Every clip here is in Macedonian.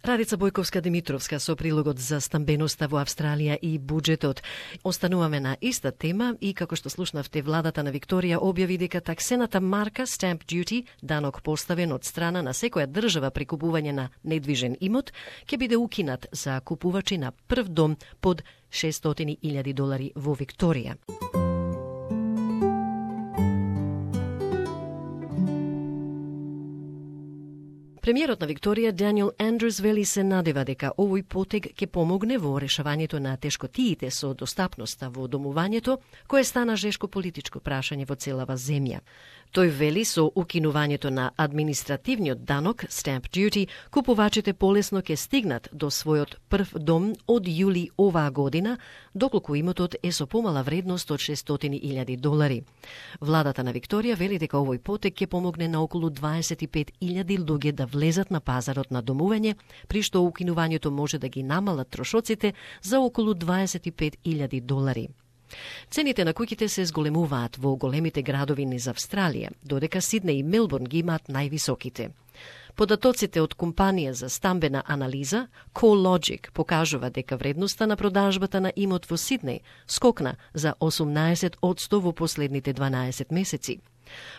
Радица Бојковска-Димитровска со прилогот за стамбеноста во Австралија и буџетот. Остануваме на иста тема и како што слушнавте, владата на Викторија објави дека таксената марка Stamp Duty, данок поставен од страна на секоја држава при купување на недвижен имот, ќе биде укинат за купувачи на прв дом под $600,000 во Викторија. Премиерот на Викторија Даниел Андрюс вели се надева дека овој потег ќе помогне во решавањето на тешкотиите со достапноста во домувањето, кое стана жешко политичко прашање во целава земја. Тој вели со укинувањето на административниот данок Stamp Duty, купувачите полесно ќе стигнат до својот прв дом од јули оваа година, доколку имотот е со помала вредност од $600,000. Владата на Викторија вели дека овој потег ќе помогне на околу 25,000 луѓе да влезат на пазарот на домување, при што укинувањето може да ги намалат трошоците за околу $25,000. Цените на куќите се зголемуваат во големите градови низ Австралија, додека Сиднеј и Мелбурн ги имаат највисоките. Податоците од компанија за стамбена анализа CoreLogic покажува дека вредноста на продажбата на имот во Сиднеј скокна за 18% во последните 12 месеци.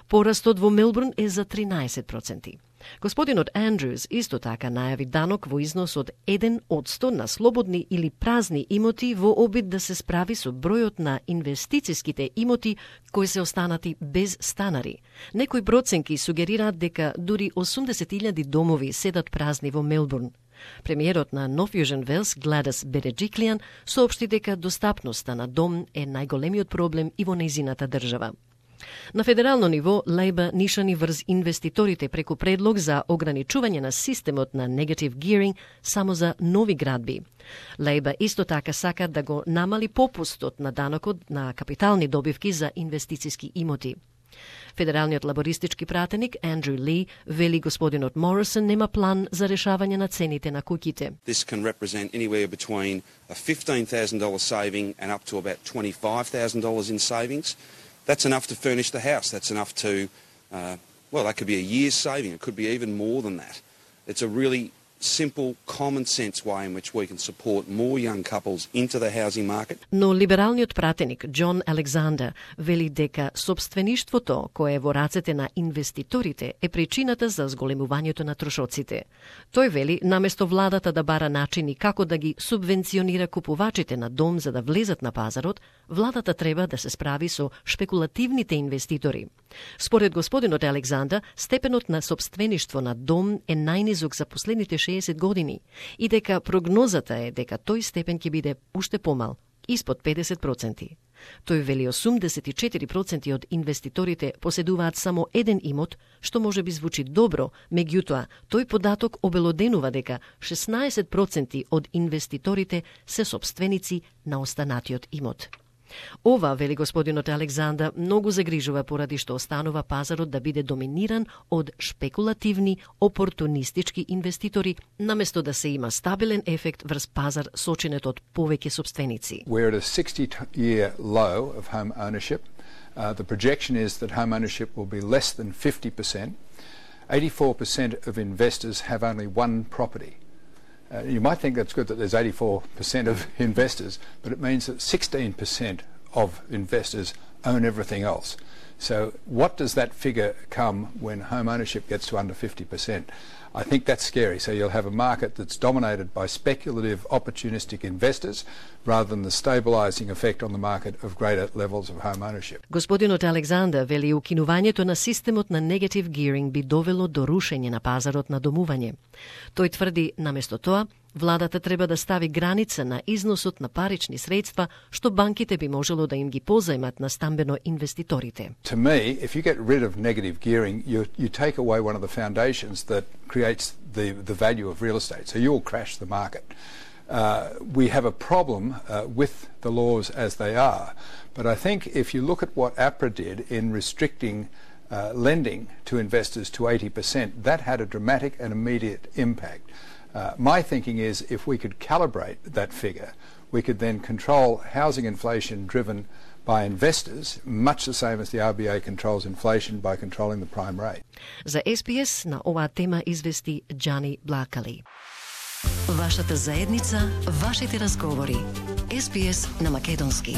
Порастот во Мелбурн е за 13%. Господинот Андрюс исто така најави данок во износ од 1% на слободни или празни имоти во обид да се справи со бројот на инвестициските имоти кои се останати без станари. Некои проценки сугерираат дека дури 80,000 домови седат празни во Мелбурн. Премиерот на Нов Јужен Велс Гладис Береджиклијан соопшти дека достапноста на дом е најголемиот проблем и во нејзината држава. На федерално ниво, Лейбор нишани врз инвеститорите преку предлог за ограничување на системот на negative gearing само за нови градби. Лейбор исто така сака да го намали попустот на данокот на капитални добивки за инвестициски имоти. Федералниот лабористички пратеник Андрю Ли вели господинот Морисон нема план за решавање на цените на куќите. This can represent anywhere between a $15,000 saving and up to about $25,000 in savings. That's enough to furnish the house. That's enough to, that could be a year's saving. It could be even more than that. It's a really simple, common sense way in which we can support more young couples into the housing market. Но либералниот пратеник Џон Александер вели дека собствеништвото кое е во рацете на инвеститорите е причината за зголемувањето на трошоците. Тој вели наместо владата да бара начини како да ги субвенционира купувачите на дом за да влезат на пазарот, владата треба да се справи со шпекулативните инвеститори. Според господинот Александер, степенот на собствеништво на дом е најнизок за последните 60 години и дека прогнозата е дека тој степен ќе биде уште помал, испод 50%. Тој вели 84% од инвеститорите поседуваат само еден имот, што може би звучи добро, меѓутоа тој податок обелоденува дека 16% од инвеститорите се собственици на останатиот имот. Ова, вели господинот Александер, многу загрижува поради што останува пазарот да биде доминиран од шпекулативни, опортунистички инвеститори, наместо да се има стабилен ефект врз пазар сочинет од повеќе собственици. We're at a 60-year low of home ownership. The projection is that home ownership will be less than 50%. 84% of investors have only one property. You might think that's good that there's 84% of investors, but it means that 16% of investors own everything else. So what does that figure come when home ownership gets to under 50%? I think that's scary. So you'll have a market that's dominated by speculative, opportunistic investors rather than the stabilizing effect on the market of greater levels of home ownership. Господинот Александер вели укинувањето на системот на negative gearing би довело до рушење на пазарот на домување. Тој тврди, наместо тоа, владата треба да стави граница на износот на парични средства, што банките би можело да им ги позајмат на стамбено инвеститорите. To me, if you get rid of negative gearing, you take away one of the foundations that creates the value of real estate. So you'll crash the market. We have a problem with the laws as they are. But I think if you look at what APRA did in restricting lending to investors to 80%, that had a dramatic and immediate impact. My thinking is if we could calibrate that figure, we could then control housing inflation driven by investors, much the same as the RBA controls inflation by controlling the prime rate. За SBS на оваа тема извести Џани Блакали. Вашата заедница, вашите разговори. SBS на македонски.